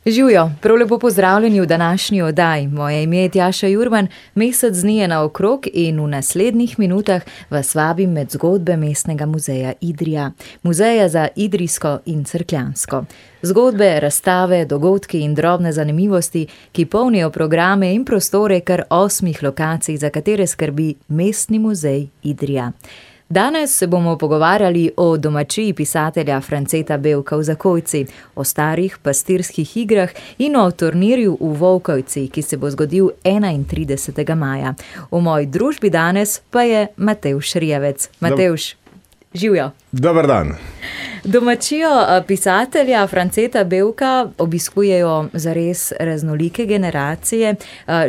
Živjo, prav lepo pozdravljeni v današnji oddaji. Moje ime je Tjaša Jurban, mesec dni je naokrog in v naslednjih minutah vas vabim med zgodbe Mestnega muzeja Idrija, muzeja za idrijsko in cerkljansko. Zgodbe, razstave, dogodki in drobne zanimivosti, ki polnijo programe in prostore kar 8 lokacij, za katere skrbi Mestni muzej Idrija. Danes se bomo pogovarjali o domačiji pisatelja Franceta Bevka v Zakojci, o starih pastirskih igrah in o turnirju v Volkovci, ki se bo zgodil 31. maja. V moji družbi danes pa je Matevž Rijavec. Matevž, živjo. Dober dan. Domačijo pisatelja Franceta Bevka obiskujejo zares raznolike generacije.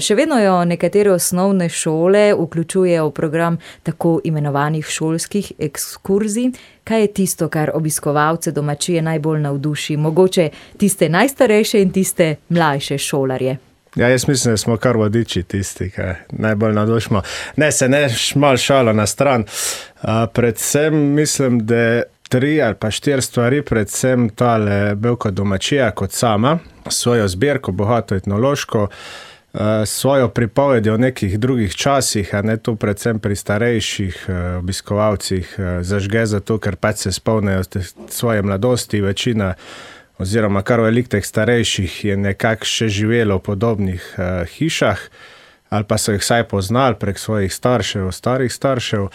Še vedno jo nekatere osnovne šole vključujejo v program tako imenovanih šolskih ekskurzij. Kaj je tisto, kar obiskovalce domačije najbolj navduši? Mogoče tiste najstarejše in tiste mlajše šolarje? Ja, jaz mislim, da smo kar vodiči tisti, ki najbolj navdušimo. Ne, se ne malo šalo na stran. Predvsem mislim, da 3 ali pa 4 stvari, predvsem tale Bevka domačija kot sama, svojo zbirko, bogato etnološko, svojo pripovedi o nekih drugih časih, a ne tu predvsem pri starejših obiskovalcih zažge zato, ker pač se spomnejo svoje mladosti, večina oziroma kar veliko teh starejših je nekako še živelo v podobnih hišah, ali pa so jih vsaj poznali prek svojih staršev, starih staršev.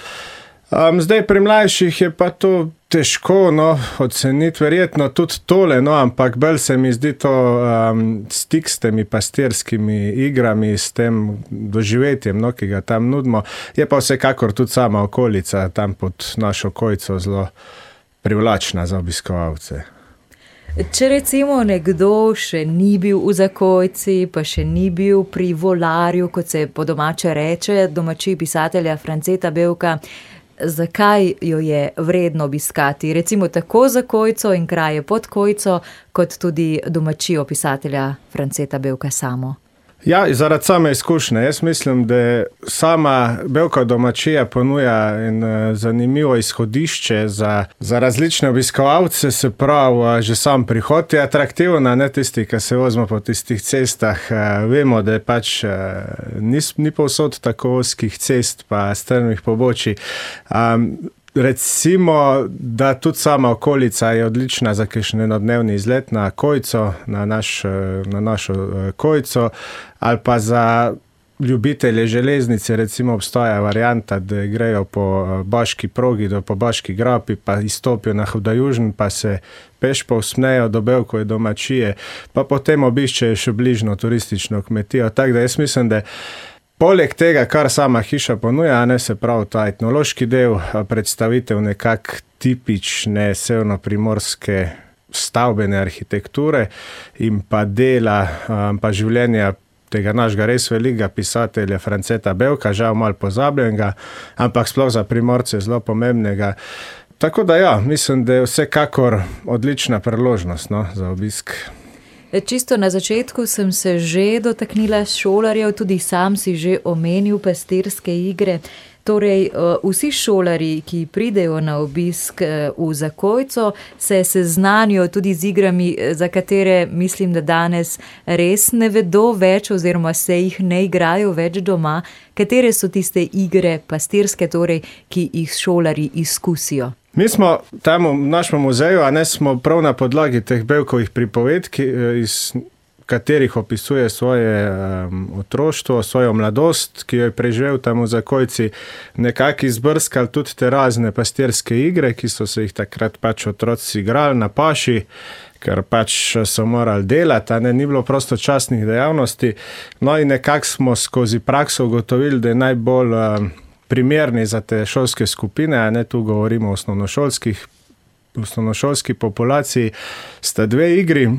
Zdaj pri mlajših je pa to težko oceniti, verjetno tudi tole, ampak bolj se mi zdi to stik s temi pastirskimi igrami, s tem doživetjem, ki ga tam nudimo. Je pa vsekakor tudi sama okolica tam pod našo Kojco zelo privlačna za obiskovalce. Če recimo nekdo še ni bil v Zakojci, pa še ni bil pri Volarju, kot se po domače reče, domačiji pisatelja Franceta Bevka, zakaj jo je vredno obiskati? Recimo tako Zakojco in kraje pod Kojco, kot tudi domačijo pisatelja Franceta Bevka samo. Ja, zaradi same izkušnje. Jaz mislim, da sama Bevka domačija ponuja en zanimivo izhodišče za različne obiskovalce, se pravi, že sam prihod je atraktivna, ne tisti, ki se vozimo po tistih cestah. Vemo, da je pač ni povsod tako ozkih cest pa strmih pobočij. Recimo, da tudi sama okolica je odlična za kakšen enodnevni izlet na Kojco, na našo Kojco, ali pa za ljubitelje železnice, recimo obstaja varianta, da grejo po Baški progi, po Baški grapi, pa izstopijo na Hudajužn, pa se peš povsmejo do Bevkove domačije, pa potem obiščejo še bližno turistično kmetijo. Tako da jaz mislim, da poleg tega, kar sama hiša ponuja, ne, se pravi ta etnološki del, predstavitev nekak tipične severnoprimorske stavbene arhitekture in pa dela, pa življenja tega našega res velikega pisatelja Franceta Bevka, žal malo pozabljenega, ampak sploh za Primorce zelo pomembnega. Tako da ja, mislim, da je vsekakor odlična priložnost za obisk. Čisto na začetku sem se že dotaknila šolarjev, tudi sam si že omenil pastirske igre. Torej, vsi šolarji, ki pridejo na obisk v Zakojco, se seznanijo tudi z igrami, za katere mislim, da danes res ne vedo več oziroma se jih ne igrajo več doma. Katere so tiste igre pastirske, torej, ki jih šolarji izkusijo? Mi smo tam v našem muzeju, a ne smo prav na podlagi teh Bevkovih pripovedk, iz katerih opisuje svoje otroštvo, svojo mladost, ki jo je preživel tam v Zakojci, nekako izbrskali tudi te razne pastirske igre, ki so se jih takrat pač otroci igrali na paši, ker pač so morali delati, a ne, ni bilo prostočasnih dejavnosti. No in nekako smo skozi prakso ugotovili, da je najbolj primerni za te šolske skupine, a ne, tu govorimo o osnovnošolski populaciji, sta 2 igri,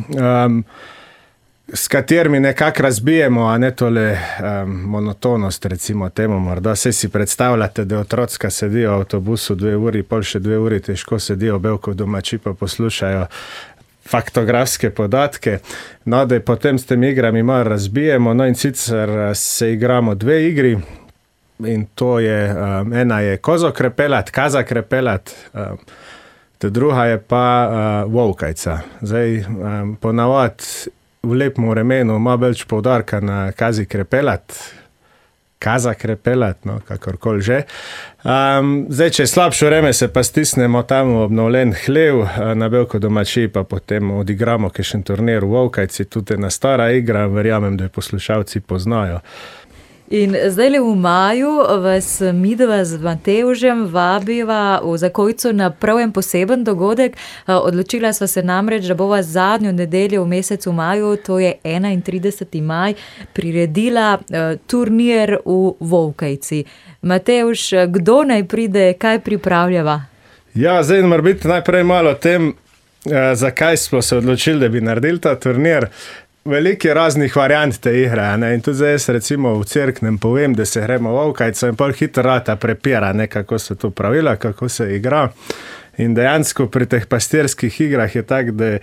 s katerimi nekako razbijemo, a ne tole monotonost, recimo temu, morda se si predstavljate, da otrocka sedijo v avtobusu 2 uri, pol še 2 uri, težko sedijo Bevkov domači pa poslušajo faktografske podatke, no, da potem s temi igrami malo razbijemo, no in sicer se igramo 2 igri, in to je, ena je Kozokrepelat, Kazakrepelat, ta druga je pa Volkajca. Zdaj, ponavadi v lepem vremenu malo več poudarka na kaza krepelat, no, kakorkoli že. Zdaj, če je slabše vreme, se pa stisnemo tam v obnovljen hlev, na Belko domačiji pa potem odigramo kakšen turnir v Vovkajci, tudi ena stara igra, verjamem, da jo poslušalci poznajo. In zdaj v maju vas midva z Matevžem vabiva v Zakojcu na prav en poseben dogodek. Odločila sva se namreč, da bova zadnjo nedeljo v mesecu maju, to je 31. maj, priredila turnir v Vovkajci. Matevž, kdo naj pride, kaj pripravljava? Ja, zdaj mora biti najprej malo o tem, zakaj smo se odločili, da bi naredili ta turnir. Veliko je raznih variant te igre, ne? In tudi zdaj jaz recimo v Cerknem povem, da se gremo v Vovkajco in pol hitro rata prepira, ne, kako so to pravila, kako se igra. In dejansko pri teh pastirskih igrah je tako, da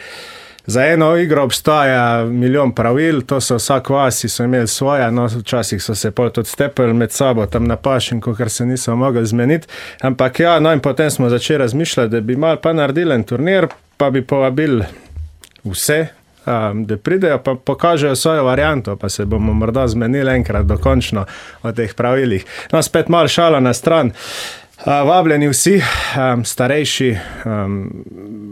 za eno igro obstaja milijon pravil, to so vsak vasi so imeli svoja, no včasih so se pol tudi stepeli med sabo tam na pašinku, ker se niso mogli zmeniti. Ampak ja, no in potem smo začeli razmišljati, da bi malo pa naredili en turnir, pa bi povabili vse, da pridejo pa pokažejo svojo varianto, pa se bomo morda zmenili enkrat dokončno o teh pravilih. No, spet malo šala na stran. Vabljeni vsi, starejši,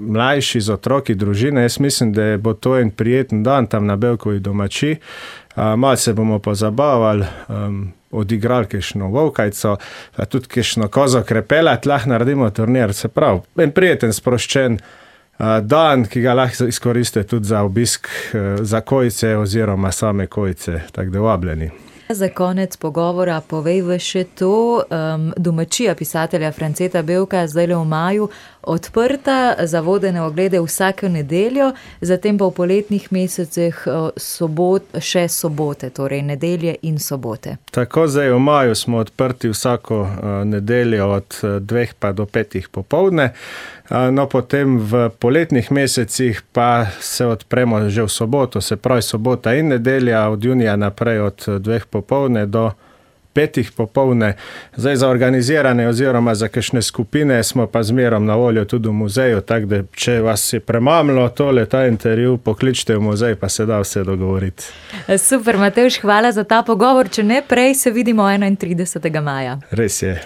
mlajši z otroki, družine. Jaz mislim, da bo to en prijeten dan tam na Belkovi domačiji. Malo se bomo pozabavali, odigrali kakšno Vovkajco, tudi kakšno kozo krepelat, lahko naredimo turnir. Se pravi, en prijeten, sproščen dan, ki ga lahko izkoriste tudi za obisk Zakojce oziroma same Kojce, tako da vabljeni. Za konec pogovora povejva še to, domačija pisatelja Franceta Belka zdaj v maju odprta za vodene oglede vsako nedeljo, zatem pa v poletnih mesecih še sobote, torej nedelje in sobote. Tako, zdaj v maju smo odprti vsako nedeljo od 2 pa do 5 popoldne, no potem v poletnih mesecih pa se odpremo že v soboto, se pravi sobota in nedelja od junija naprej od 2 popoldne do 5 popoldne. Zdaj za organizirane oziroma za kakšne skupine smo pa zmerom na voljo tudi v muzeju, tako da če vas je premamlo ta intervju, pokličite v muzej, pa se da vse dogovoriti. Super, Matevž, hvala za ta pogovor, če ne prej se vidimo 31. maja. Res je.